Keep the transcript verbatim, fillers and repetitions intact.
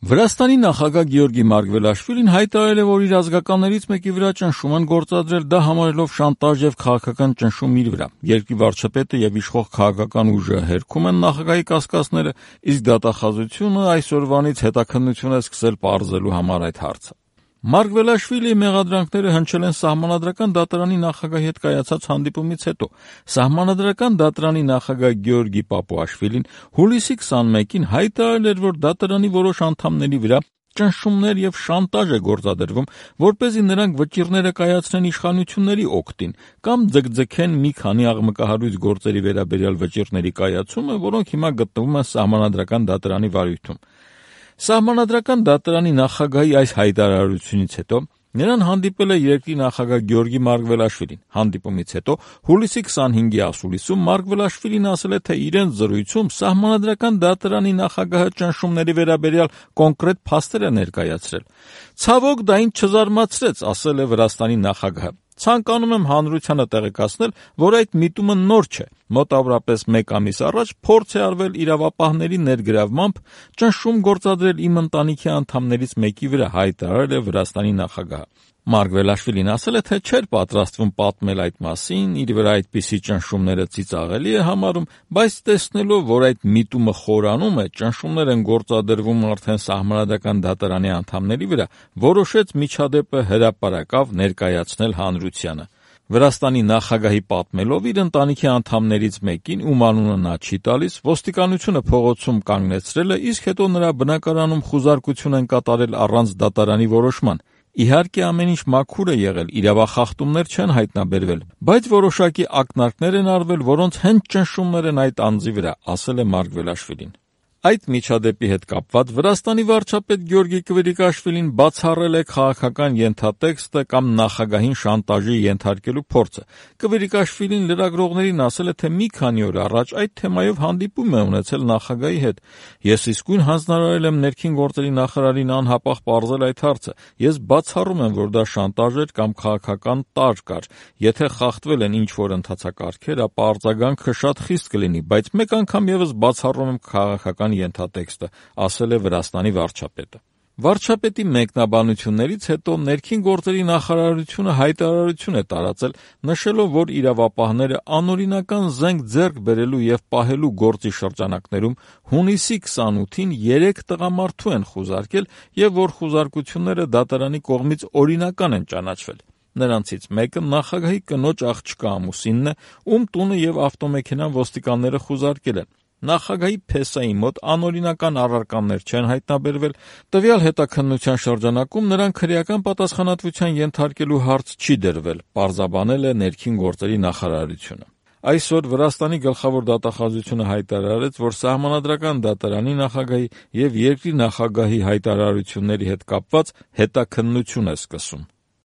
Վրաստանի նախագահ Գեորգի Մարգվելաշվիլին հայտարարել է, որ իր ազգականներից մեկի վրա ճնշում են գործադրել, դա համարելով շանտաժ եւ քաղաքական ճնշում իր վրա։ Երկրի վարչապետը եւ իշխող քաղաքական ուժը հերքում են նախագահի կասկածները, իսկ դատախազությունը այսօրվանից հետաքննություն է սկսել պարզելու համար այդ հարցը։ Մարգվելաշվիլիի մեղադրանքները հնչել են Սահմանադրական դատարանի նախագահի հետ կայացած հանդիպումից հետո։ Սահմանադրական դատարանի նախագահ Գեորգի Պապուաշվիլին հուլիսի քսանմեկին հայտարարել էր, որ դատարանի որոշ անդամների վրա ճնշումներ եւ շանտաժ է գործադրվում, որպեսզի նրանք վճիռները կայացնեն իշխանությունների օգտին կամ ձգձգեն մի քանի աղմկահարույց գործերի վերաբերյալ վճիռների կայացումը, որոնք հիմա գտնվում են Սահմանադրական դատարանի վարույթում։ Սահմանադրական դատարանի նախագահի այս հայտարարությունից հետո նրան հանդիպել է երկրի նախագահ Գեորգի Մարգվելաշվիլին։ Հանդիպումից հետո հուլիսի քսանհինգի ասուլիսում Մարգվելաշվիլին ասել է, թե իրենց զրույցում Սահմանադրական դատարանի նախագահը ճնշումների վերաբերյալ կոնկրետ փաստեր է ներկայացրել։ Ցավոք, դա ինձ չզարմացրեց, ասել է Վրաստանի նախագահը։ Ցանկանում եմ հանրությանը տեղեկացնել, որ այդ միտումը նոր չէ։ Մոտավորապես մեկ ամիս առաջ փորձ է արվել իրավապահների ներգրավմամբ ճնշում գործադրել իմ ընտանիքի անդամներից մեկի վրա, հայտարարել է Վրաստանի նախագահը։ Մարգվելաշվիլին ասել է, թե չէր պատրաստվում պատմել այդ մասին, իր վրա այդպիսի ճնշումները ծիծաղելի է համարում, բայց տեսնելով, որ այդ միտումը խորանում է, ճնշումներ են գործադրվում արդեն Սահմանադրական դատարանի անդամների վրա, որոշեց միջադեպը հրապարակավ ներկայացնել հանրությանը։ Վրաստանի նախագահի պատմելով իր ընտանիքի անդամներից մեկին, ում անունը նա չի տալիս, ոստիկանությունը փողոցում կանգնեցրել է, իսկ հետո նրա բնակարանում խուզարկություն են կատարել առանց դատարանի որոշման։ Իհարկե ամեն ինչ մաքուր է եղել, իրավախախտումներ չեն հայտնաբերվել, բայց որոշակի ակնարկներ են արվել, որոնց հենց ճնշումներ են այդ անձի վրա, ասել է Մարգվելաշվիլին։ Այդ միջադեպի հետ կապված Վրաստանի վարչապետ Գեորգի Կվիրիկաշվիլին բացառել է քաղաքական ենթատեքստը կամ նախագահին շանտաժի ենթարկելու փորձը։ Կվիրիկաշվիլին լրագրողներին ասել է, թե մի քանի օր առաջ այդ թեմայով հանդիպում է ունեցել նախագահի հետ։ Ես իսկույն հանձնարարել եմ ներքին գործերի նախարարին անհապաղ պարզել այդ հարցը։ Ես բացառում եմ, որ դա շանտաժ էր կամ քաղաքական տարր կար։ Եթե խախտվել են ինչ-որ ընթացակարգեր, ապա արձագանքը շատ խիստ կլինի, բայց մեկ անգամ եւս բացառում եմ քաղաքական ենթատեքստը, ասել է Վրաստանի վարչապետը։ Վարչապետի մեկնաբանություններից հետո ներքին գործերի նախարարությունը հայտարարություն է տարածել, նշելով, որ իրավապահները անօրինական զենք ձեռք բերելու եւ պահելու գործի շրջանակներում հունիսի քսանութին երեք տղամարդու են խուզարկել եւ որ խուզարկությունները դատարանի կողմից օրինական են ճանաչվել։ Նրանցից մեկը նախագահի կնոջ աղջկա ամուսինն է, ում տունը եւ ավտոմեքենան ոստիկանները խուզարկել են։ Նախագահի փեսայի մոտ անօրինական առարկաներ չեն հայտնաբերվել, տվյալ հետաքննության շրջանակում նրան քրեական պատասխանատվության ենթարկելու հարց չի դրվել, պարզաբանել է ներքին գործերի նախարարությունը։ Այսօր Վրաստանի գլխավոր դատախազությունը հայտարարեց, որ Սահմանադրական դատարանի նախագահի եւ երկրի նախագահի հայտարարությունների հետ կապված հետաքննություն է սկսում։